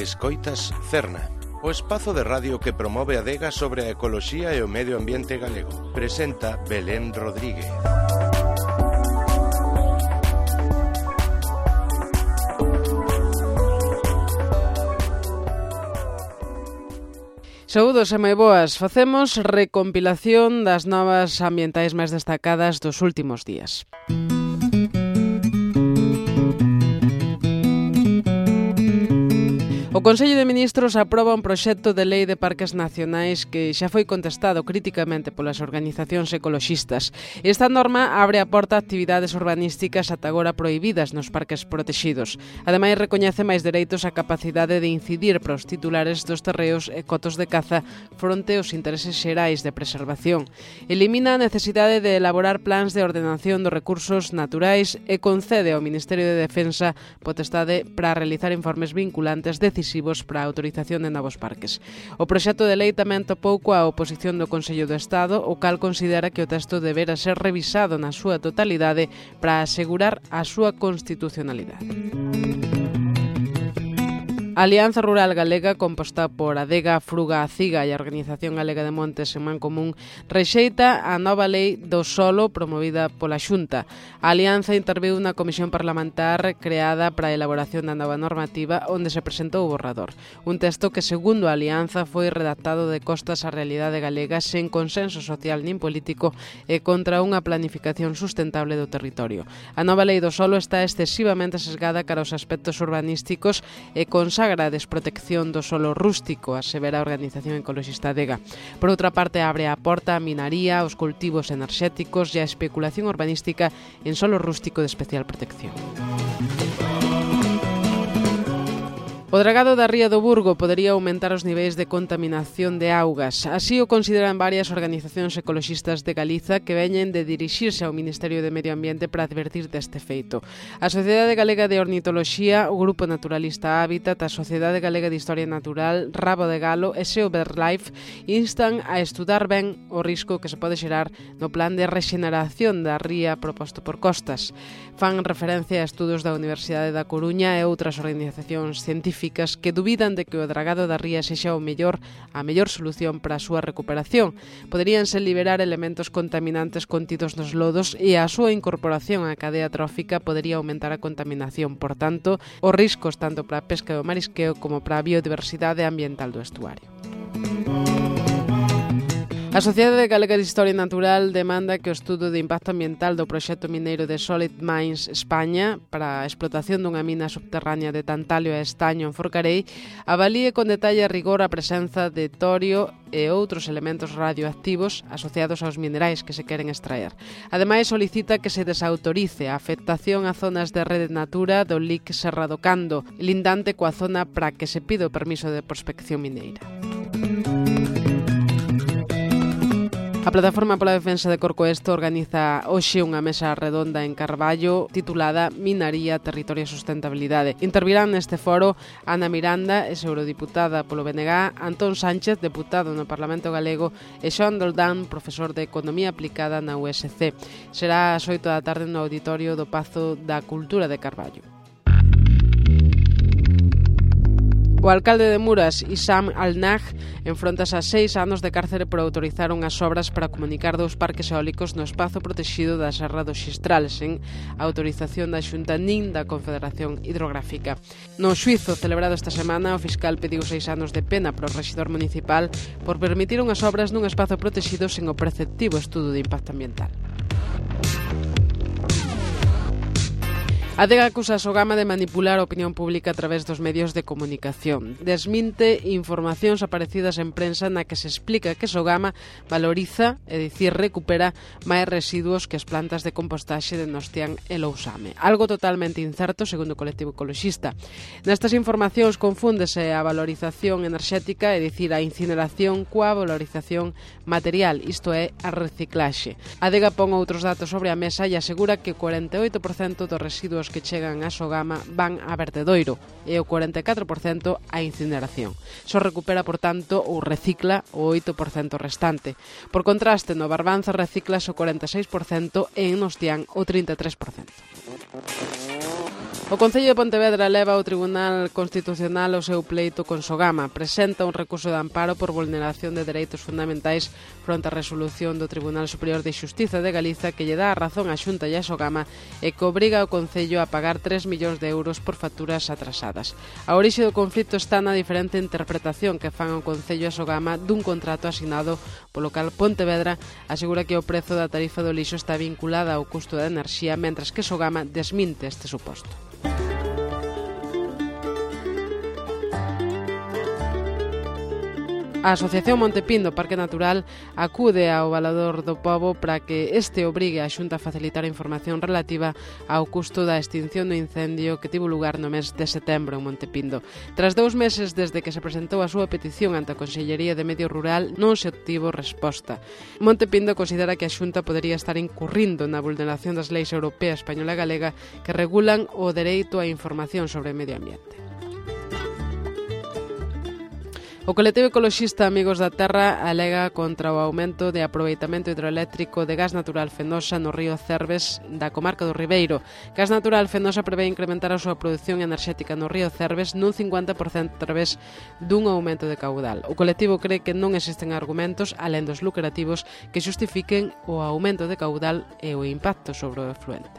Escoitas Cerna, o espazo de radio que promove a adega sobre a ecoloxía e o medio ambiente galego. Presenta Belén Rodríguez. Saúdos e moi boas. Facemos recompilación das novas ambientais máis destacadas dos últimos días. O Consello de Ministros aproba un proxecto de lei de parques nacionais que xa foi contestado criticamente polas organizacións ecoloxistas. Esta norma abre a porta a actividades urbanísticas ata agora prohibidas nos parques protexidos. Ademais, recoñece máis dereitos á capacidade de incidir para os titulares dos terreos e cotos de caza fronte aos intereses xerais de preservación. Elimina a necesidade de elaborar plans de ordenación dos recursos naturais e concede ao Ministerio de Defensa potestade para realizar informes vinculantes decisivos para a autorización de novos parques. O proxecto de lei tamén topou coa oposición do Consello do Estado, o cal considera que o texto debera ser revisado na súa totalidade para asegurar a súa constitucionalidade. A Alianza Rural Galega, composta por Adega, Fruga, Ciga e a Organización Galega de Montes en Mancomún, rexeita a nova lei do solo promovida pola Xunta. A Alianza interviu na comisión parlamentar creada para a elaboración da nova normativa onde se presentou o borrador. Un texto que, segundo a Alianza, foi redactado de costas á realidade galega sen consenso social nin político e contra unha planificación sustentable do territorio. A nova lei do solo está excesivamente sesgada cara aos aspectos urbanísticos e consagra a desprotección do solo rústico, asevera a organización ecoloxista Adega. Por outra parte, abre a porta a minaría, aos cultivos enerxéticos e a especulación urbanística en solo rústico de especial protección. O dragado da ría do Burgo podería aumentar os niveis de contaminación de augas. Así o consideran varias organizacións ecoloxistas de Galiza que veñen de dirixirse ao Ministerio de Medio Ambiente para advertir deste feito. A Sociedade Galega de Ornitoloxía, o Grupo Naturalista Hábitat, a Sociedade Galega de Historia Natural, Rabo de Galo e Seo Birdlife instan a estudar ben o risco que se pode xerar no plan de rexeneración da ría proposto por Costas. Fan referencia a estudos da Universidade da Coruña e outras organizacións científicas que dubidan de que o dragado da ría sexa a mellor solución para a súa recuperación. Poderíanse liberar elementos contaminantes contidos nos lodos e a súa incorporación á cadea trófica podería aumentar a contaminación. Por tanto, os riscos tanto para a pesca e o marisqueo como para a biodiversidade ambiental do estuario. A Sociedade Galega de Historia Natural demanda que o estudo de impacto ambiental do proxecto mineiro de Solid Mines España para a explotación dunha mina subterránea de tantalio e estaño en Forcarei avalíe con detalle e rigor a presenza de torio e outros elementos radioactivos asociados aos minerais que se queren extraer. Ademais, solicita que se desautorice a afectación a zonas de rede natura do LIC Serra do Cando, lindante coa zona para que se pide o permiso de prospección mineira. A Plataforma pola Defensa de Corcoesto organiza hoxe unha mesa redonda en Carballo titulada Minaría, Territorio e Sustentabilidade. Intervirán neste foro Ana Miranda, exeurodiputada polo BNG, Antón Sánchez, deputado no Parlamento Galego, e Xoán Doldán, profesor de Economía Aplicada na USC. Será ás 8 da tarde no auditorio do Pazo da Cultura de Carballo. O alcalde de Muras, Issam Al-Naj, enfrontase a 6 anos de cárcere por autorizar unhas obras para comunicar dous parques eólicos no espazo protexido da Serra do Xistral, sen autorización da Xunta nin da Confederación Hidrográfica. No xuízo celebrado esta semana, o fiscal pediu 6 anos de pena para o rexedor municipal por permitir unhas obras nun espazo protexido sen o preceptivo estudo de impacto ambiental. A Adega acusa a Sogama de manipular a opinión pública a través dos medios de comunicación. Desminte informacións aparecidas en prensa na que se explica que Sogama valoriza, é dicir, recupera máis residuos que as plantas de compostaxe de Nostián e Lousame. Algo totalmente incerto, segundo o colectivo ecoloxista. Nestas informacións confúndese a valorización enerxética, é dicir, a incineración coa valorización material, isto é, a reciclaxe. A Adega pon outros datos sobre a mesa e asegura que o 48% dos residuos que chegan a Sogama van a vertedoiro e o 44% a incineración. Só recupera, por tanto, ou recicla o 8% restante. Por contraste, no Barbanza reciclas o 46% e en Nostián o 33%. O Concello de Pontevedra leva ao Tribunal Constitucional o seu pleito con Sogama. Presenta un recurso de amparo por vulneración de dereitos fundamentais fronte á resolución do Tribunal Superior de Xustiza de Galiza que lle dá a razón á Xunta e a Sogama e que obriga ao Concello a pagar 3 millóns de euros por facturas atrasadas. A orixe do conflito está na diferente interpretación que fan o Concello e a Sogama dun contrato asignado polo cal Pontevedra asegura que o prezo da tarifa do lixo está vinculada ao custo da enerxía, mentras que Sogama desminte este suposto. A Asociación Montepindo Parque Natural acude ao Valador do Pobo para que este obrigue a Xunta a facilitar a información relativa ao custo da extinción do incendio que tivo lugar no mes de setembro en Montepindo. Tras 2 meses desde que se presentou a súa petición ante a Consellería de Medio Rural, non se obtivo resposta. Montepindo considera que a Xunta podería estar incurrindo na vulneración das leis europea, española e galega que regulan o dereito á información sobre o medio ambiente. O colectivo ecoloxista Amigos da Terra alega contra o aumento de aproveitamento hidroeléctrico de gas natural Fenosa no río Cerves da comarca do Ribeiro. Gas natural Fenosa prevé incrementar a súa produción enerxética no río Cerves nun 50% a través dun aumento de caudal. O colectivo cree que non existen argumentos, alén dos lucrativos, que xustifiquen o aumento de caudal e o impacto sobre o efluente.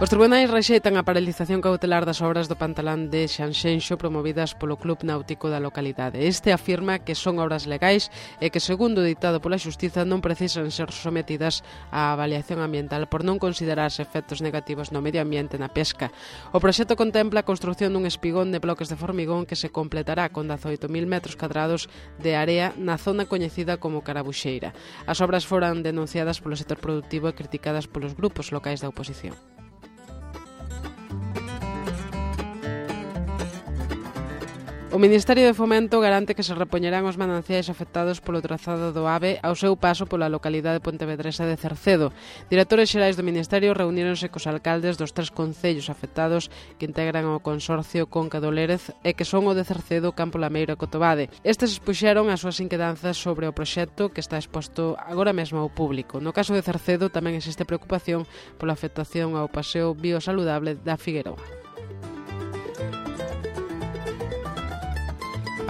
Os tribunais rexeitan a paralización cautelar das obras do pantalán de Xanxenxo promovidas polo Club Náutico da localidade. Este afirma que son obras legais e que, segundo ditado pola Xustiza, non precisan ser sometidas á avaliación ambiental por non considerarse efectos negativos no medio ambiente na pesca. O proxecto contempla a construción dun espigón de bloques de formigón que se completará con 18.000 metros cadrados de area na zona coñecida como Carabuxeira. As obras foran denunciadas polo sector productivo e criticadas polos grupos locais da oposición. O Ministerio de Fomento garante que se repoñerán os mananciais afectados polo trazado do AVE ao seu paso pola localidade pontevedresa de Cercedo. Directores xerais do Ministerio reuníronse cos alcaldes dos 3 concellos afectados que integran o consorcio Conca do Lérez e que son o de Cercedo, Campo Lameiro e Cotobade. Estes expuxeron as súas inquedanzas sobre o proxecto que está exposto agora mesmo ao público. No caso de Cercedo tamén existe preocupación pola afectación ao paseo biosaludable da Figueroa.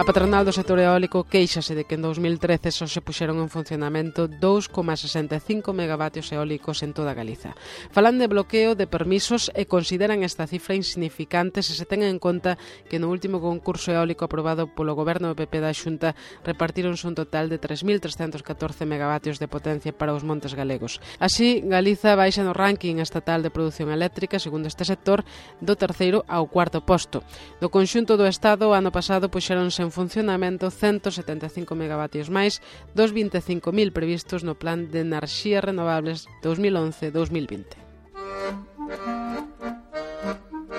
A patronal do sector eólico quéixase de que en 2013 só se puxeron en funcionamento 2,65 megavatios eólicos en toda Galiza. Falan de bloqueo de permisos e consideran esta cifra insignificante se se ten en conta que no último concurso eólico aprobado polo goberno do PP da Xunta repartíronse un total de 3.314 megavatios de potencia para os montes galegos. Así, Galiza baixa no ranking estatal de produción eléctrica, segundo este sector, do 3º ao 4º posto. Do conxunto do Estado, o ano pasado puxéronse en funcionamento 175 megavatios máis dos 25.000 previstos no Plan de Enerxías Renovables 2011-2020.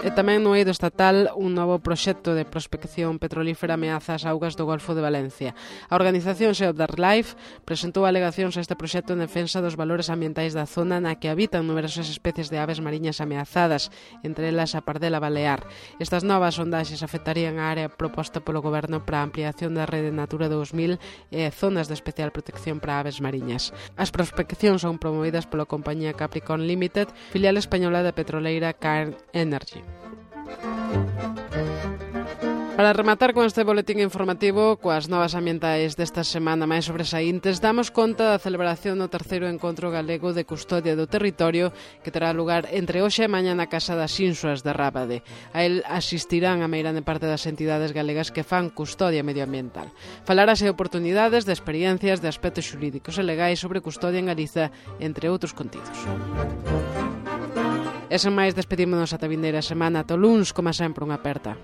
E tamén no eido estatal un novo proxecto de prospección petrolífera ameaza as augas do Golfo de Valencia. A organización Save the Life presentou alegacións a este proxecto en defensa dos valores ambientais da zona na que habitan numerosas especies de aves mariñas ameazadas, entre elas a pardela balear. Estas novas sondaxes afectarían a área proposta polo goberno para a ampliación da rede Natura 2000 e zonas de especial protección para aves mariñas. As prospeccións son promovidas pola compañía Capricorn Limited, filial española da petroleira Cairn Energy. Para rematar con este boletín informativo coas novas ambientais desta semana máis sobresaíntes, damos conta da celebración do 3º Encontro Galego de Custodia do Territorio que terá lugar entre hoxe e mañá na Casa das Insuas de Rábade. A el asistirán a meirande parte das entidades galegas que fan custodia medioambiental. Falarase de oportunidades, de experiencias, de aspectos xurídicos e legais sobre custodia en Galiza, entre outros contidos. E sen máis, despedímonos ata vindeira semana. Ata o luns, como sempre, unha aperta.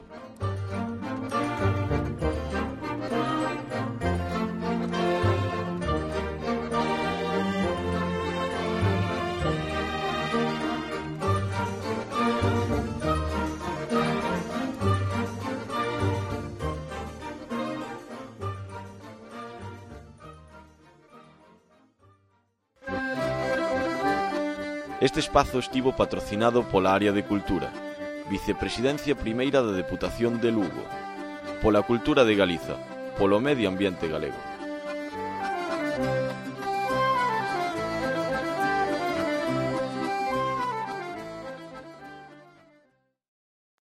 Este espazo estivo patrocinado pola Área de Cultura, Vicepresidencia Primeira da Deputación de Lugo, pola Cultura de Galiza, polo Medio Ambiente Galego.